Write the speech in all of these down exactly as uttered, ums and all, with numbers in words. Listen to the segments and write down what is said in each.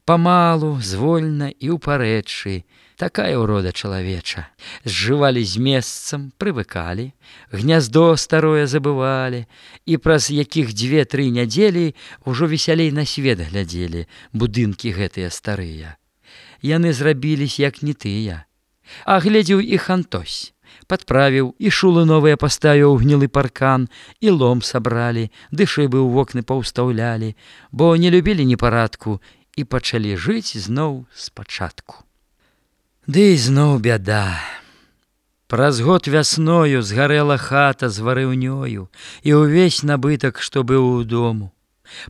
Памалу, звольна і ў парэчы, такая ўрода чалавеча. Зжывалі з месцам, прывыкалі, гняздо старое забывалі, і праз якіх дзве-тры нядзелі ўжо весялей на свет глядзелі будынкі гэтыя старыя. Яны зрабіліся, як не тыя. А глядзеў іх Антось. Падправіў, і шулы новыя паставіў у гнілы паркан, і лом сабралі, ды шыбы ў вокны паўстаўлялі, бо не любілі непарадку і пачалі жыць зноў спачатку. Ды зноў бяда. Праз год вясною згарэла хата з варыўнёю і ўвесь набытак, што быў у дому.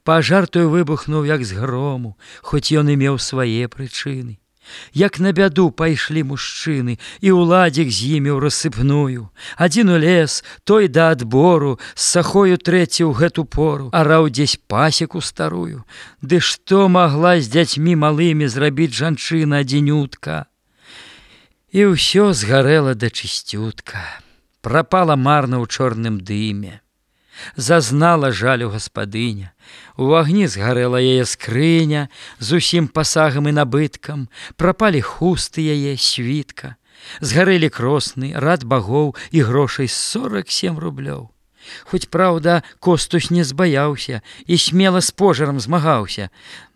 Пажар той выбухнуў, як з грому, хоць ён і меў свае прычыны. Як на бяду пайшлі мужчыны, і ўладзік з імі ў рассыпную. Адзін у лес, той да адбору, з сахою трэці ў гэту пору, араў дзесь пасеку старую. Ды што магла з дзяцьмі малымі зрабіць жанчына адзінютка? І ўсё згарэла да чысцютка, прапала марна ў чорным дыме. Зазнала жалю гаспадыня. У агні згарэла яе скрыня з усім пасагам і набыткам, прапалі хусты яе, світка. Згарэлі кросны, рад багоў і грошай сорак сем рублёў. Хоць, праўда, Костусь не збаяўся і смела з пожарам змагаўся.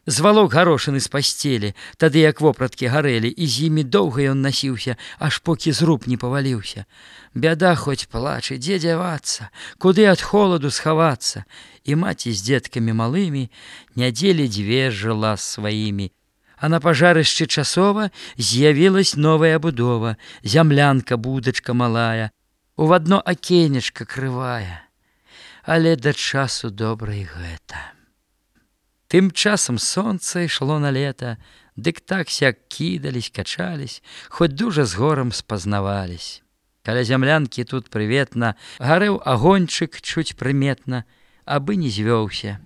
Звалок гарошыны з пасцелі, тады як вопраткі гарэлі, і з імі доўга ён насіўся, аж покі зруб не паваліўся. Бяда хоць плачы, дзе дзявацца, куды ад холаду схавацца. І маці з дзеткамі малымі нядзелі дзве жыла з сваімі. А на пажарышчы часова з'явілась новая будова, зямлянка, будачка малая, у адно акенечка крывая. Але да часу добра і гэта. Тым часам сонца ішло на лета, дык так сяк кідались, качались, хоць дужа з горам спазнавались. Каля зямлянкі тут прыветна гарэў агоньчык чуць прыметна, абы не звёўся.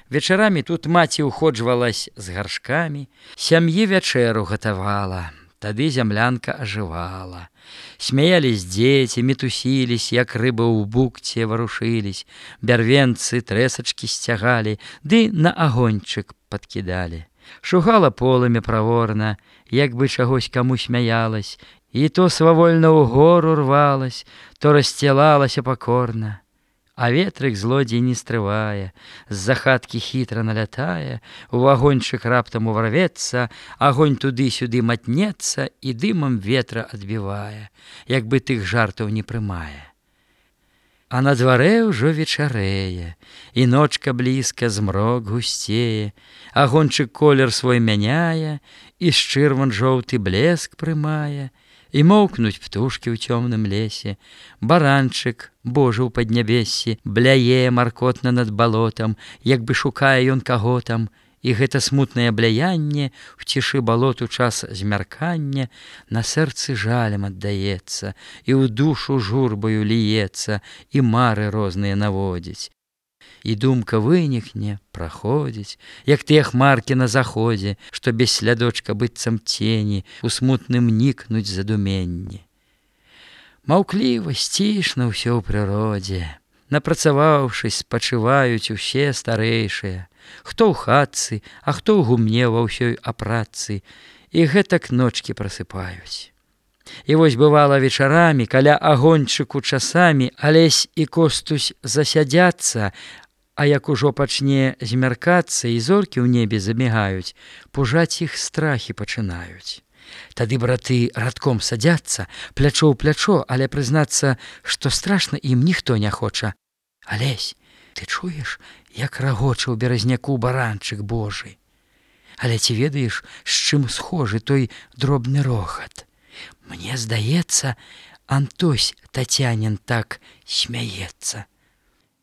Вечарамі тут маці ўходжвалась з гаршкамі, сям'і вячэру гатавала, тады зямлянка ажывала. Смяялись дзеці, мітусілись, як рыбы ў букце варушылись, бярвенцы трэсачкі сцягалі, ды на агоньчык падкідалі. Шугала полымя праворна, як бы чагось каму смяялась, і то свавольна ў гору рвалась, то расцілалася пакорна. А ветрык злодзей не стрывае, з-за хаткі хітра налятае, у агоньчык раптам уварвецца, агонь туды-сюды матнецца і дымам ветра адбівае, як бы тых жартаў не прымае. А на дварэ ўжо вечарэе, і ночка блізка, змрок гусцее, агоньчык колер свой мяняе, і з чырван жоўты блеск прымае, і моўкнуць птушкі ў цёмным лесе. Баранчык, Божа ў паднябессі, бляе маркотна над балотам, як бы шукае ён каго там, і гэта смутнае бляянне ў цішы балот у час змяркання на сэрцы жалем аддаецца, і ў душу журбаю ліецца, і мары розныя наводзіць. І думка вынікне, праходзіць, як тыя хмаркі на заходзе, што без слядочка быццам цені у смутным нікнуць задуменні. Маўкліва, сцішна ўсё ў прыродзе. Напрацаваўшись, спачываюць усе старэйшыя, хто ў хатцы, а хто ў гумне ва ўсёй апратцы, і гэтак ночкі прасыпаюць. І вось бывала вечарамі, каля агоньчыку часамі Алесь і Костусь засядзяцца, а як ужо пачне змяркацца і зоркі ў небе замігаюць, пужаць іх страхі пачынаюць. Тады браты радком садзяцца, плячо ў плячо, але прызнацца, што страшна ім ніхто не хоча. Алесь, ты чуеш, як рагоча ў беразняку баранчык Божы? Але ці ведаеш, з чым схожы той дробны рохат? Мне здаецца, Антось Тацянін так смяецца.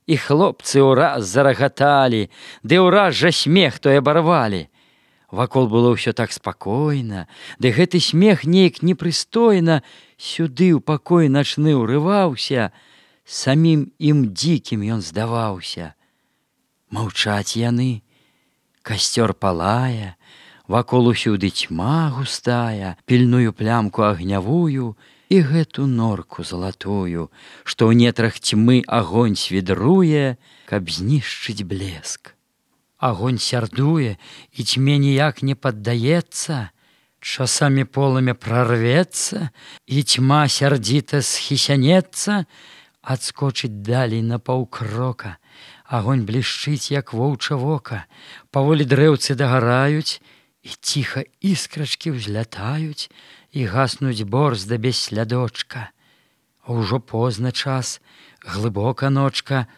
І хлопцы ўраз зарагаталі, ды ўраз жа смех той абарвалі. Вакол было ўсё так спакойна, ды гэты смех нейк непрыстойна сюды ў пакой начны ўрываўся, самім ім дзікім ён здаваўся. Маўчаць яны, касцёр палае, вакол усюды цьма густая, пільную плямку агнявую і гэту норку залатую, што ў нетрах цьмы агонь свідруе, каб знішчыць блеск. Агонь сярдуе, і тьме ніяк не паддаецца. Часамі полымя прорвецца, і тьма сярдзіта схісянецца, адскочыць далей на паўкрока. Агонь блішчыць, як воўча вока. Паволі дрэўцы дагараюць, і ціха іскрачкі ўзлятаюць, і гаснуць борзда без слядочка. А ўжо позна час, глыбока ночка,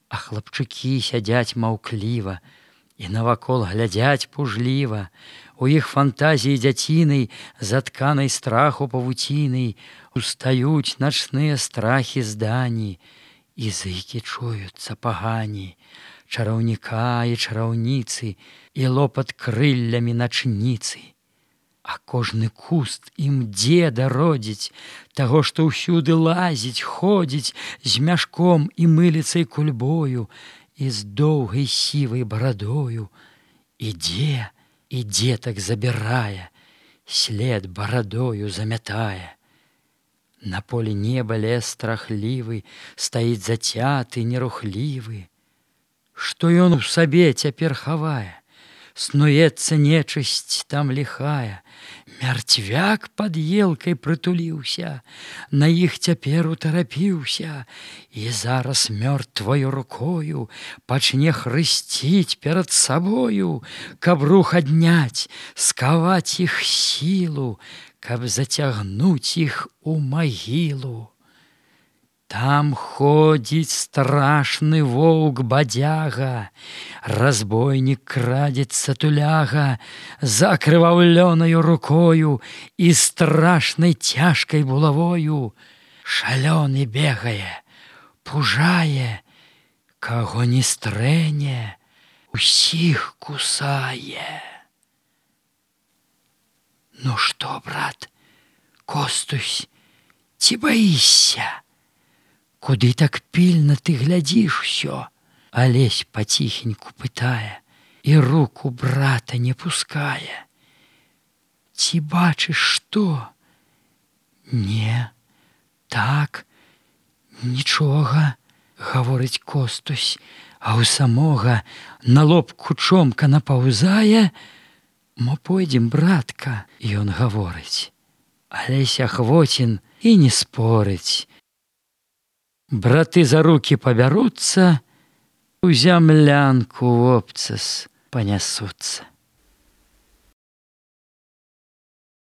а хлапчукі сядзяць маўкліва і навакол глядзяць пужліва. У іх фантазіі дзяцінай, затканай страху павуцінай, устаюць начныя страхі здані, і зыкі чуюцца пагані, чараўніка і чараўніцы, і лопат крыллямі начніцы. А кожны куст ім дзеда родзіць, таго, што ўсюды лазіць, ходзіць з мяшком і мыліцай кульбою, і з доўгай сівай барадою. Ідзе, і дзетак забірае, след барадою замятае. На полі неба лес страхлівы, стаіць зацяты, нерухлівы. Што ён у сабе цяпер хавае? Снуецца нечысць там ліхая. Мярцвяк пад елкай прытуліўся, на іх цяпер утарапіўся, і зараз мёртваю рукою пачне хрысціць перад сабою, каб рух адняць, скаваць іх сілу, каб зацягнуць іх у магілу. Там ходзіць страшны воўк бадзяга, разбойнік крадзецца туляга, за акрываўлёнаю рукою і страшнай цяжкай булавою. Шалёны бегае, пужае, каго не стрэне, усіх кусае. Ну што, брат, Костусь, ці баішся? Куды так пільна ты глядзіш усё? Алесь паціхеньку пытае, і руку брата не пускае. Ці бачыш што? Не, так, нічога, гаворыць Костусь, а ў самога на лоб кучомка напаўзае. Мо пойдзем, братка, ён гаворыць. Алесь Ахвоцін і не спорыць. Браты за рукі пабяруцца, у зямлянку вопцас панясуцца.